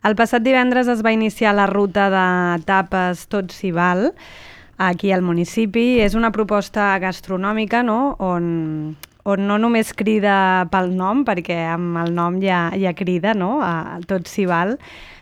El passat divendres es va iniciar la ruta de tapes Tot s'hi val, aquí al municipi. És una proposta gastronòmica, no?, on no només crida pel nom, perquè amb el nom ja crida, no?, a Tot s'hi val,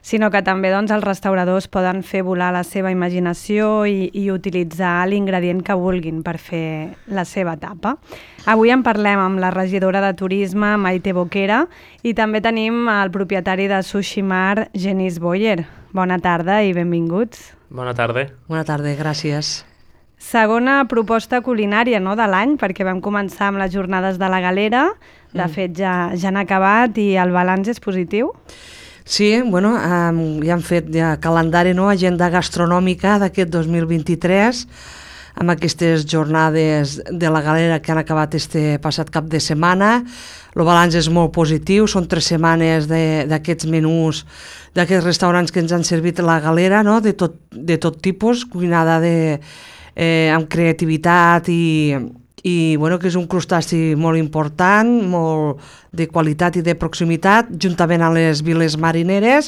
sinó que també doncs, els restauradors poden fer volar la seva imaginació i utilitzar l'ingredient que vulguin per fer la seva tapa. Avui en parlem amb la regidora de Turisme, Maite Boquera, i també tenim el propietari de Sushi Mar, Genís Boyer. Bona tarda i benvinguts. Bona tarda. Bona tarda, gràcies. Segona proposta culinària, no?, de l'any, perquè vam començar amb les jornades de la Galera. De fet, ja han acabat i el balanç és positiu. Sí, bueno, ja han fet calendari, no?, agenda gastronòmica d'aquest 2023, amb aquestes jornades de la Galera que han acabat este passat cap de setmana. El balanç és molt positiu, són 3 setmanes d'aquests menús, d'aquests restaurants que ens han servit la Galera, no?, de tot tipus, cuinada amb creativitat i bueno, que és un crustaci molt important, molt de qualitat i de proximitat, juntament amb les viles marineres,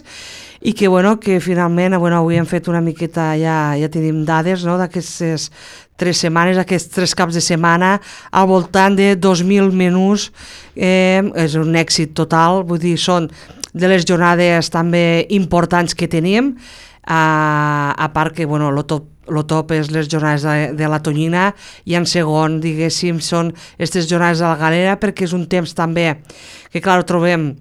i que, bueno, que finalment avui hem fet una miqueta, ja tenim dades, no?, d'aquestes 3 setmanes, aquests 3 caps de setmana, al voltant de 2.000 menús. És un èxit total, vull dir, són de les jornades també importants que tenim, a part que, bueno, el top és les jornades de la Tonyina, i en segon, diguéssim, són aquestes jornades de la Galera, perquè és un temps també que, clar, trobem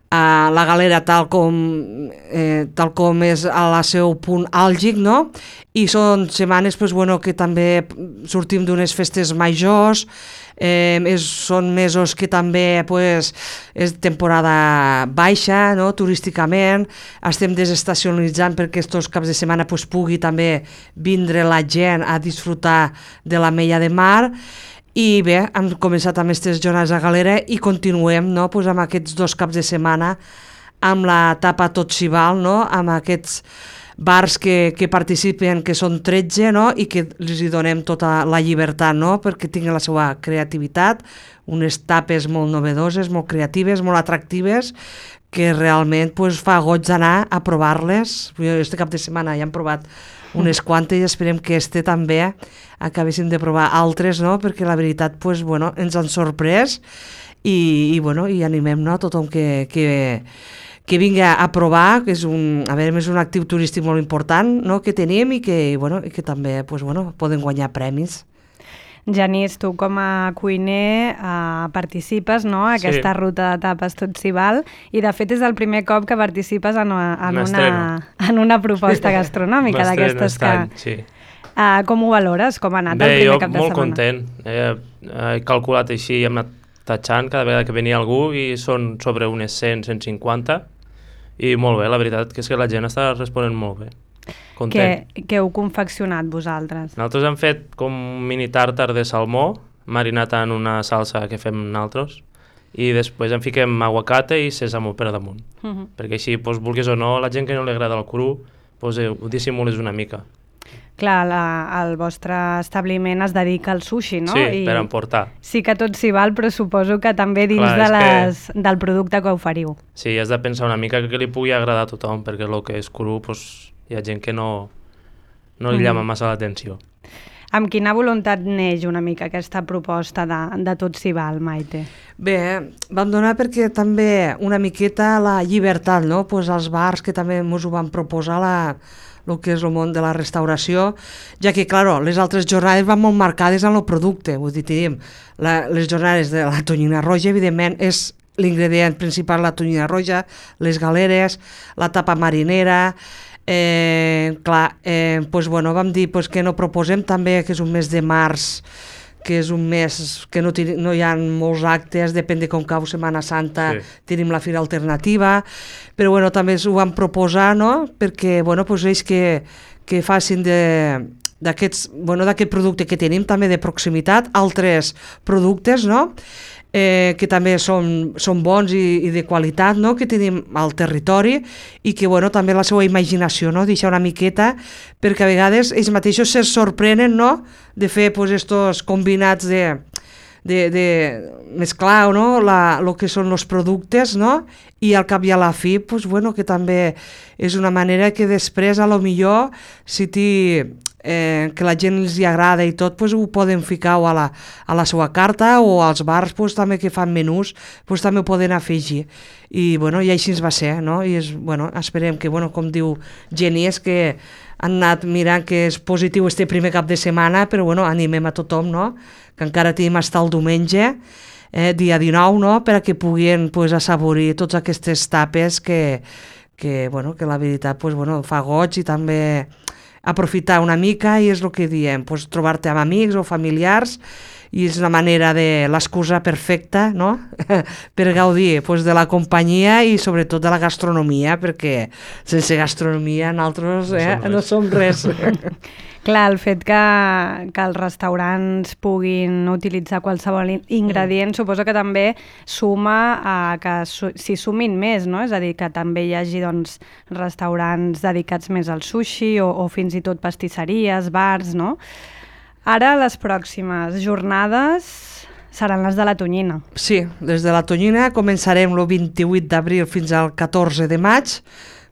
la Galera tal com és al seu punt àlgic, no? I són setmanes que també sortim d'unes festes majors, són mesos que també és temporada baixa, no?, turísticament, estem desestacionalitzant perquè aquests caps de setmana pugui també vindre la gent a disfrutar de la Mella de Mar. I bé, hem començat amb aquestes jornades a Galera i continuem, no?, amb aquests 2 caps de setmana amb la tapa Tot s'hi val, no?, amb aquests bars que participen, que són 13, no?, i que els donem tota la llibertat, no?, perquè tinguin la seva creativitat, unes tapes molt novedoses, molt creatives, molt atractives, que realment fa goig d'anar a provar-les. Este cap de setmana ja hem provat unes quantes i esperem que també acabéssim de provar altres, no?, perquè la veritat ens han sorprès i animem, no?, a tothom que vingui a provar, que és un actiu turístic molt important, no?, que tenim i que també poden guanyar premis. Genís, tu com a cuiner participes, no?, a aquesta ruta de tapes Tot s'hi val, i de fet és el primer cop que participes en una proposta gastronòmica d'aquestes que... Sí. Com ho valores? Com ha anat el primer cap de setmana? Molt content. He calculat així, hem anat tatxant cada vegada que venia algú i són sobre unes 100-150 i molt bé, la veritat que és que la gent està responent molt bé. Content. Què heu confeccionat vosaltres? Nosaltres hem fet com un mini tàrtar de salmó marinat en una salsa que fem nosaltres i després en fiquem aguacate i sèsamo per damunt. Perquè així, vulguis o no, la gent que no li agrada el cru, ho dissimules una mica. Clar, el vostre establiment es dedica al sushi, no? Sí, per emportar. Sí que Tot s'hi val, però suposo que també dins del producte que oferiu. Sí, has de pensar una mica que li pugui agradar a tothom, perquè el que és cru hi ha gent que no li llama massa l'atenció. Amb quina voluntat neix una mica aquesta proposta de Tot s'hi val, Maite? Bé, vam donar perquè també una miqueta la llibertat, no?, als bars que també ens ho van proposar el que és el món de la restauració, ja que, clar, les altres jornades van molt marcades en el producte. Vull dir, tenim les jornades de la tonyina roja, evidentment, és l'ingredient principal la tonyina roja, les galeres, la tapa marinera. Vam dir que no proposem també, que és un mes de març, que és un mes que no hi ha molts actes, depèn de com cau Setmana Santa, tenim la fira alternativa, però també ho vam proposar, no?, perquè ells que facin d'aquest producte que tenim també de proximitat, altres productes, no?, que també són bons i de qualitat, no?, que tenim al territori i que també la seva imaginació, no?, deixar una miqueta, perquè a vegades ells mateixos se sorprenen, no?, de fer estos combinats mesclar, no? El que són els productes, no? I al cap i a la fi, pues, bueno, que també és una manera que després, a lo millor, si que la gent els hi agrada i tot, pues, ho poden ficar o a la seva carta o als bars pues, també que fan menús, pues, també ho poden afegir. I, bueno, i així ens va ser, no? I bueno, esperem que, bueno, com diu Jenny, és que han anat mirant que és positiu este primer cap de setmana, però bueno, animem a tothom, no? Que encara tenim fins el diumenge, dia 19, no? Per a que puguin pues, assaborir totes aquestes tapes que bueno, que la veritat pues, bueno, fa goig i també aprofitar una mica, i és el que diem, pues, trobar-te amb amics o familiars, i és una manera de l'excusa perfecta, no? Per gaudir pues, de la companyia i sobretot de la gastronomia, perquè sense gastronomia nosaltres no som res. Clar, el fet que els restaurants puguin utilitzar qualsevol ingredient suposo que també suma a que s'hi sumin més, no? És a dir, que també hi hagi doncs, restaurants dedicats més al sushi o fins i tot pastisseries, bars, no? Ara les pròximes jornades seran les de la Tonyina. Sí, des de la Tonyina començarem el 28 d'abril fins al 14 de maig,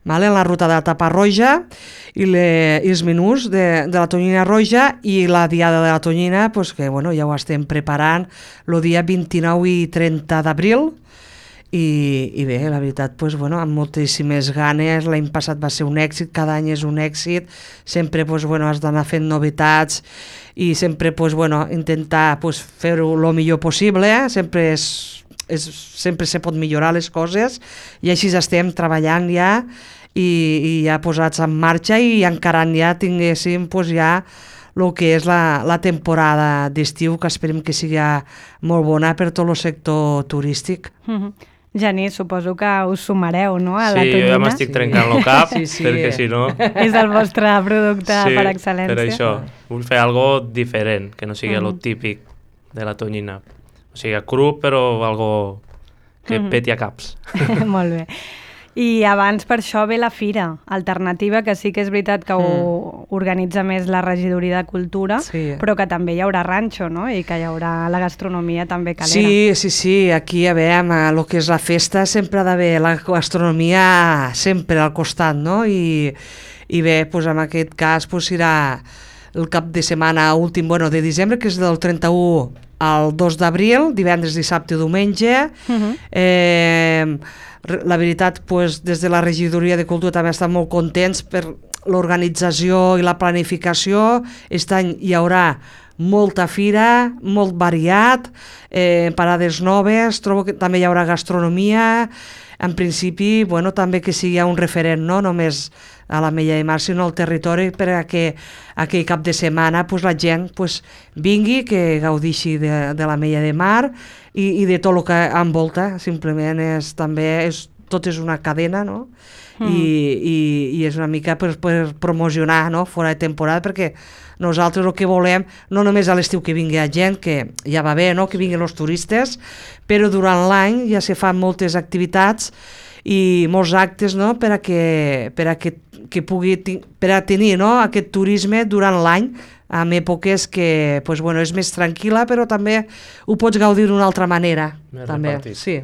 vale, en la ruta de la tapa roja i els menús de la Tonyina roja, i la diada de la Tonyina pues, que bueno, ja ho estem preparant el dia 29 i 30 d'abril. I bé, la veritat, pues, bueno, amb moltíssimes ganes. L'any passat va ser un èxit, cada any és un èxit, sempre pues, bueno, has d'anar fent novetats i sempre pues, bueno, intentar pues, fer-ho el millor possible, sempre se pot millorar les coses, i així estem treballant ja i ja posats en marxa i encarant ja tinguéssim pues, ja el que és la temporada d'estiu, que esperem que sigui molt bona per tot el sector turístic. Genís, suposo que us sumareu, no?, a la Tonyina. Sí, jo ja m'estic trencant el cap, perquè si no... És el vostre producte per excel·lència. Sí, per això. Vull fer algo diferent, que no sigui el típic de la Tonyina. O sigui, cru, però algo que peti a caps. Molt bé. I abans per això ve la Fira Alternativa, que sí que és veritat que ho organitza més la Regidoria de Cultura, però que també hi haurà ranxo, no? I que hi haurà la gastronomia també calera. Sí, aquí a veure, el que és la festa sempre ha d'haver la gastronomia sempre al costat, no? I bé, doncs en aquest cas serà el cap de setmana últim de desembre, que és del 31 al 2 d'abril, divendres, dissabte i diumenge. La veritat, des de la Regidoria de Cultura també estan molt contents per l'organització i la planificació. Aquest any hi haurà molta fira, molt variat, parades noves, trobo que també hi haurà gastronomia. En principi, també que sigui un referent, no només a l'Ametlla de Mar, sinó al territori, per a que aquell cap de setmana la gent vingui, que gaudixi de l'Ametlla de Mar i de tot el que envolta. Simplement tot és una cadena, no? I és una mica per promocionar, no?, fora de temporada, perquè nosaltres el que volem, no només a l'estiu que vingui la gent, que ja va bé, no?, que vinguin els turistes, però durant l'any ja se fan moltes activitats i molts actes, no?, per a tenir, no?, aquest turisme durant l'any, en èpoques que és més tranquil·la, però també ho pots gaudir d'una altra manera. Més també. repartit. Sí.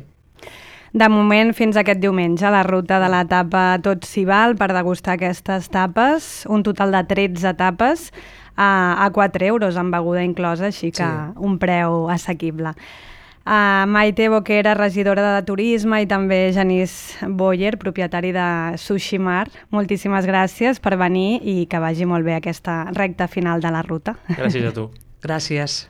De moment, fins aquest diumenge, la ruta de la tapa Tot s'hi val per degustar aquestes tapes, un total de 13 tapes a 4 euros, amb beguda inclosa, així que un preu assequible. Maite Boquera, regidora de Turisme, i també Genís Boyer, propietari de Sushi Mar. Moltíssimes gràcies per venir i que vagi molt bé aquesta recta final de la ruta. Gràcies a tu. Gràcies.